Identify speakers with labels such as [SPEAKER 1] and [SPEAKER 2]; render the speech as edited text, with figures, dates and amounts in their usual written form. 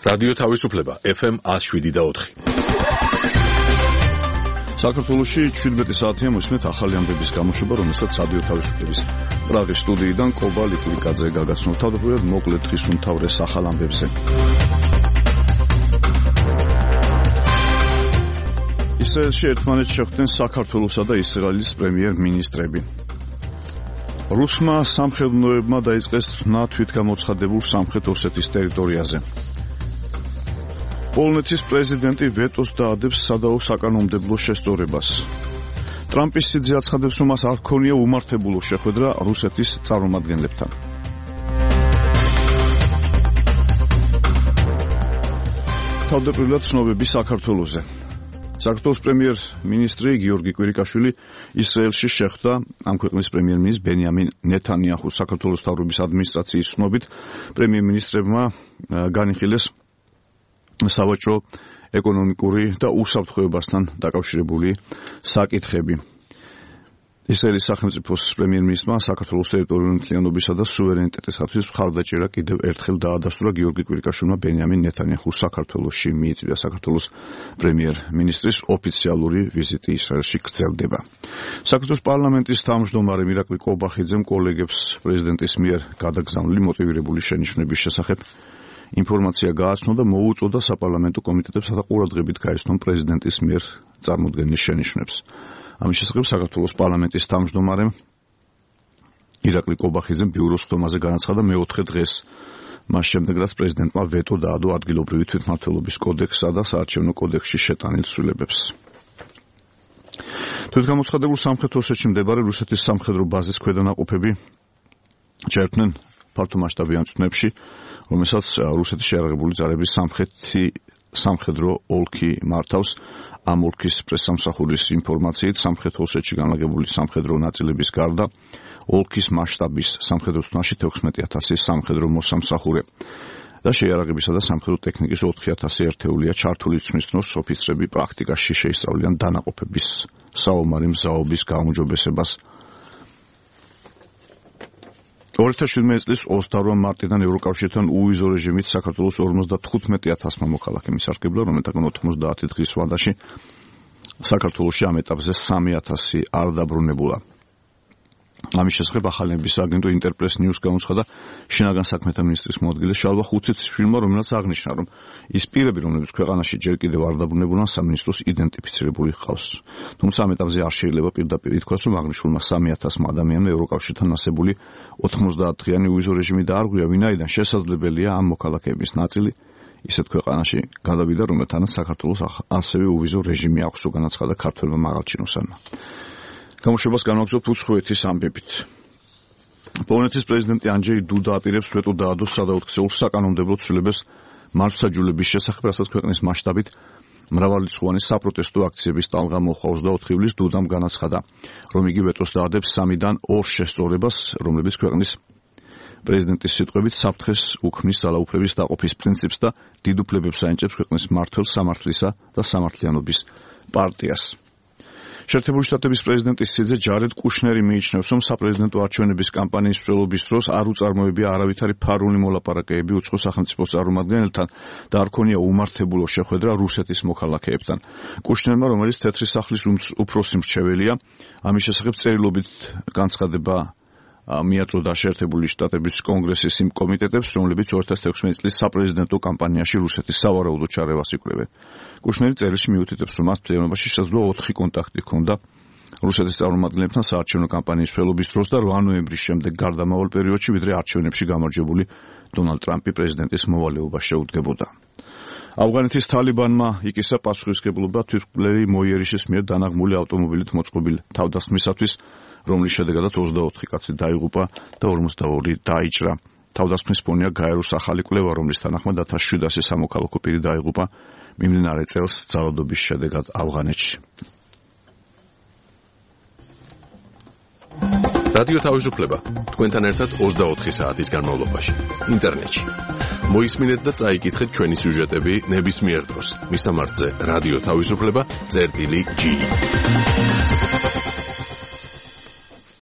[SPEAKER 1] რადიო თავისუფლება FM 107.4.
[SPEAKER 2] საქართველოში 17 საათია მოსმენთ ახალი ამბების გამოშვება, რომელსაც რადიო თავისუფლების პრაღის სტუდიიდან კობა ლიტვიკაძე გაგაცნობს. თავდაპირველად მოკლედ დღის უმთავრეს ახალ ამბებზე. ისრაელში ერთმანეთს შეხვდნენ საქართველოსა და ისრაელის პრემიერ-მინისტრები. რუსმა სამხედროებმა დაიწყეს ხმა თვითგამოცხადებულ სამხრეთ ოსეთის ტერიტორიაზე. პოლონეთის პრეზიდენტი ვეტოს დაადებს სადაო საკანონმდებლო შესწორებას. ტრამპის სიძე აცხადებს, რომ მას არ ქონია უმართებულო შეხვედრა რუსეთის წარმომადგენლებთან. თავდაპირველად ცნობები საქართველოზე. საქართველოს პრემიერ-მინისტრი გიორგი კვირიკაშვილი ისრაელში შეხვდა ამ ქვეყნის პრემიერ-მინისტრ ბენიამინ ნეთანიაჰუს. საქართველოს მთავრობის ადმინისტრაციის ცნობით პრემიერ-მინისტრებმა განიხილეს სავაჭრო, ეკონომიკური და უსაფრთხოებასთან დაკავშირებული საკითხები. ისრაელის სახელმწიფოს პრემიერ-მინისტრმა საქართველოს ტერიტორიული მთლიანობისა და სუვერენიტეტისათვის მხარდაჭერა კიდევ ერთხელ დაადასტურა. გიორგი კვირიკაშვილმა ბენიამინ ნეთანიაჰუს საქართველოში მიიწვია. საქართველოს პრემიერ-მინისტრის ოფიციალური ვიზიტი ისრაელში გრძელდება. საქართველოს პარლამენტის თავმჯდომარე მირაკლი კობახიძემ კოლეგებს პრეზიდენტის მიერ გადაგზავნილი მოტივირებული შენიშვნების შესახებ ინფორმაცია გააცნო და მოუწოდა საპარლამენტო კომიტეტებს ყურადღებით გაეცნონ პრეზიდენტის მიერ წარმოდგენილ შენიშვნებს. ამის შესახებ საქართველოს პარლამენტის თავმჯდომარემ ირაკლი კობახიძემ ბიუროს ხდომაზე განაცხადა მეოთხე დღეს, მას შემდეგ რაც პრეზიდენტმა ვეტო დაადო ადგილობრივი თვითმმართველობის კოდექსსა და საარჩევნო კოდექსში შეტანილ ცვლილებებს. თვითგამოცხადებულ სამხრეთ ოსეთში მდებარე რუსეთის სამხედრო ბაზის ქვედანაყოფები ჩაერთნენ ფართომასშტაბიან წვნებში, რომელსაც რუსეთის შეიარაღებული ძალების სამხედრო ოლქი მართავს. ამ ოლქის პრესსამსახურის ინფორმაციით სამხრეთ ოსეთში განლაგებული სამხედრო ნაწილების გარდა ოლქის მასშტაბის სამხედრო წვნაში 16,000 სამხედრო მოსამსახურე და შეიარაღებისა და სამხედრო ტექნიკის 4,000 ერთეულია ჩართული. ცვლის დროს ოფიცრები პრაქტიკაში შეისწავლიან დანაყოფების საომარი მზაობის გაუმჯობესებას. 2017 წლის 28 მარტიდან ევროკავშირთან უვიზო რეჟიმით საქართველოს 55,000 მოქალაქე მისარგებლა, რომელთაგან 90 დღის ვადაში საქართველოში ამ ეტაპზე 3,000 არ დაბრუნებულა. ამის შესახებ ახალების აგენტო ინტერპრეს ნიუს გამოცხადა შინაგან საქმეთა მინისტრის მოადგილე შალვა ხუციციშვილმა, რომელსაც აღნიშნა, რომ ის პირები, რომლებიც ქვეყანაში ჯერ კიდევ არ დაბრუნებულან, სამინისტროს იდენტიფიცირებული ჰყავს. თუმცა ამ ეტაპზე არ შეიძლება პირდაპირ ითქვას, რომ აღნიშნულმა 3,000 ადამიანმა ევროკავშირთან ასებული 90 დღიანი უვიზო რეჟიმი დაარღვია, ვინაიდან შესაძლებელია ამ მოქალაქეების ნაწილი ისეთ ქვეყანაში გადავიდა, რომელთანაც საქართველოს ასევე უვიზო რეჟიმი აქვს, განაცხადა ქართველმა მაღალჩინოსანმა. გამოშვებას განვაგრძობთ უცხოეთის ამბებით. პოლონეთის პრეზიდენტი ანჯეი დუდა აპირებს ვეტო დაადოს სადაოთხსეულ საკანონმდებლო ცვლილებას მართლმსაჯულების შესახებ, რასაც ქვეყნის მასშტაბით მრავალრიცხოვანი საპროტესტო აქციების ტალღა მოჰყავს და 4 ივლისს დუდამ განაცხადა, რომ იგი ვეტოს დაადებს 3-დან 2 შესწორებას, რომლებიც ქვეყნის პრეზიდენტის სიტყვებით საფრთხეს უქმნის ძალაუფლების დაყოფის პრინციპს და დიდ უფლებებს აენიჭებს ქვეყნის მმართველ სამართლისა და სამართლიანობის პარტიას. შეერთებული შტატების პრეზიდენტის სიძე ჯარედ კუშნერი მიიჩნევს, რომ საპრეზიდენტო არჩევნების კამპანიის მსვლელობის დროს არ უწარმოებია არავითარი ფარული მოლაპარაკებები უცხო სახელმწიფოს წარმომადგენელთან და არ ქონია უმართებულო შეხვედრა რუსეთის მოქალაქეებთან. კუშნერმა, რომელიც თეთრი სახლის უფროსი მრჩეველია, ამის შესახებ წერილობით განცხადება მიაწოდა შეერთებული შტატების კონგრესის იმ კომიტეტებს, რომლებიც 2016 წლის საპრეზიდენტო კამპანიაში რუსეთის სავარაუდო ჩარევას იკვლევენ. კუშნერი წერილში მიუთითებს, რომ მას მთლიანობაში შესაძლოა 4 კონტაქტი ჰქონდა რუსეთის წარმომადგენლებთან საარჩევნო კამპანიის მსვლელობის დროს და 8 ნოემბრის შემდეგ გარდამავალ პერიოდში, ვიდრე არჩევნებში გამარჯვებული დონალდ ტრამპი პრეზიდენტის მოვალეობა შეუდგებოდა. ავღანეთის თალიბანმა იკისა პასუხისმგებლობა თვითმკვლელი მოიერიშის მიერ დანაღმული ავტომობილით მოწყობილ თავდასხმისათვის, რომლის შედეგადაც 24 კაცი დაიღუპა და 42 დაიჭრა. თავდასხმის ფონია გაეროს ახალი კვლევა, რომლის თანახმად 1700 სამოქალაქო პირი დაიღუპა მიმდინარე წელს ძალადობის შედეგად ავღანეთში.
[SPEAKER 1] რადიო თავისუფლება თქვენთან ერთად 24 საათის განმავლობაში ინტერნეტში. მოისმინეთ და წაიკითხეთ ჩვენი სიუჟეტები ნებისმიერ დროს. მისამართზე რადიო თავისუფლება წერტილი G.